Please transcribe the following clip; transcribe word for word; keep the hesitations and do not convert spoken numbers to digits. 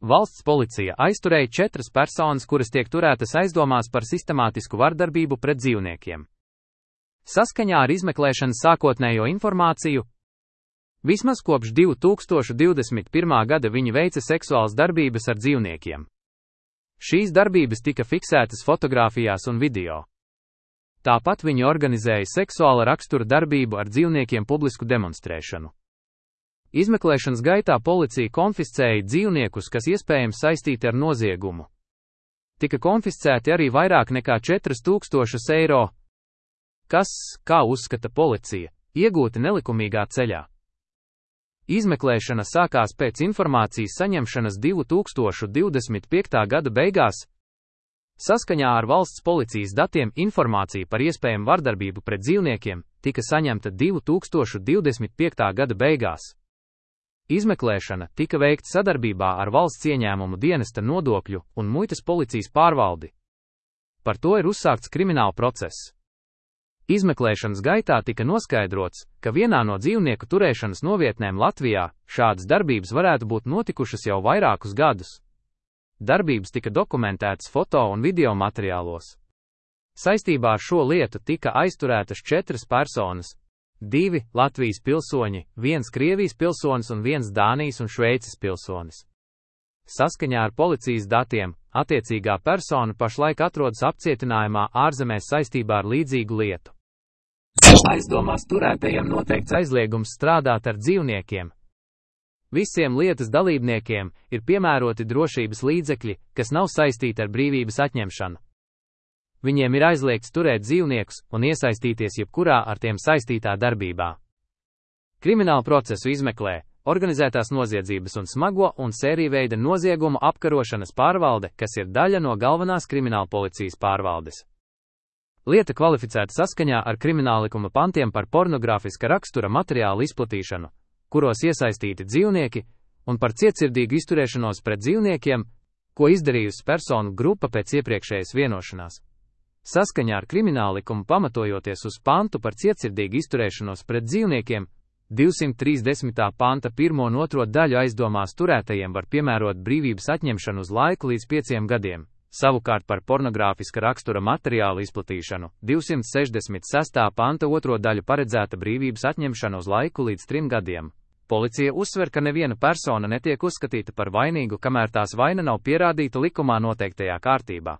Valsts policija aizturēja četras personas, kuras tiek turētas aizdomās par sistemātisku vardarbību pret dzīvniekiem. Saskaņā ar izmeklēšanas sākotnējo informāciju, vismaz kopš divi tūkstoši divdesmit pirmā gada viņi veica seksuālas darbības ar dzīvniekiem. Šīs darbības tika fiksētas fotogrāfijās un video. Tāpat viņi organizēja seksuāla rakstura darbību ar dzīvniekiem publisku demonstrēšanu. Izmeklēšanas gaitā policija konfiscēja dzīvniekus, kas iespējams saistīti ar noziegumu. Tika konfiscēti arī vairāk nekā četri tūkstoši eiro, kas, kā uzskata policija, iegūti nelikumīgā ceļā. Izmeklēšana sākās pēc informācijas saņemšanas divi tūkstoši divdesmit piekta gada beigās. Saskaņā ar valsts policijas datiem informācija par iespējamu vardarbību pret dzīvniekiem tika saņemta divi tūkstoši divdesmit piekta gada beigās. Izmeklēšana tika veikta sadarbībā ar valsts ieņēmumu dienesta nodokļu un muitas policijas pārvaldi. Par to ir uzsākts krimināla process. Izmeklēšanas gaitā tika noskaidrots, ka vienā no dzīvnieku turēšanas novietnēm Latvijā šādas darbības varētu būt notikušas jau vairākus gadus. Darbības tika dokumentētas foto un video materiālos. Saistībā ar šo lietu tika aizturētas četras personas. Divi Latvijas pilsoņi, viens Krievijas pilsonis un viens Dānijas un Šveices pilsonis. Saskaņā ar policijas datiem, attiecīgā persona pašlaik atrodas apcietinājumā ārzemēs saistībā ar līdzīgu lietu. Aizdomās turētajiem noteikts aizliegums strādāt ar dzīvniekiem. Visiem lietas dalībniekiem ir piemēroti drošības līdzekļi, kas nav saistīti ar brīvības atņemšanu. Viņiem ir aizliegts turēt dzīvniekus un iesaistīties jebkurā ar tiem saistītā darbībā. Kriminālu procesu izmeklē organizētās noziedzības un smago un sēriju noziegumu apkarošanas pārvalde, kas ir daļa no galvenās krimināla policijas pārvaldes. Lieta kvalificēta saskaņā ar krimināllikuma pantiem par pornogrāfiska rakstura materiālu izplatīšanu, kuros iesaistīti dzīvnieki, un par cietsirdīgu izturēšanos pret dzīvniekiem, ko izdarījusi personu grupa pēc iepriekšējas vienošanās. Saskaņā ar krimināllikumu pamatojoties uz pantu par cietsirdīgu izturēšanos pret dzīvniekiem, divsimt trīsdesmitā panta pirmo un otro daļu aizdomās turētajiem var piemērot brīvības atņemšanu uz laiku līdz pieciem gadiem, savukārt par pornogrāfiska rakstura materiālu izplatīšanu divsimt sešdesmit sestā panta otro daļu paredzēta brīvības atņemšana uz laiku līdz trim gadiem. Policija uzsver, ka neviena persona netiek uzskatīta par vainīgu, kamēr tās vaina nav pierādīta likumā noteiktajā kārtībā.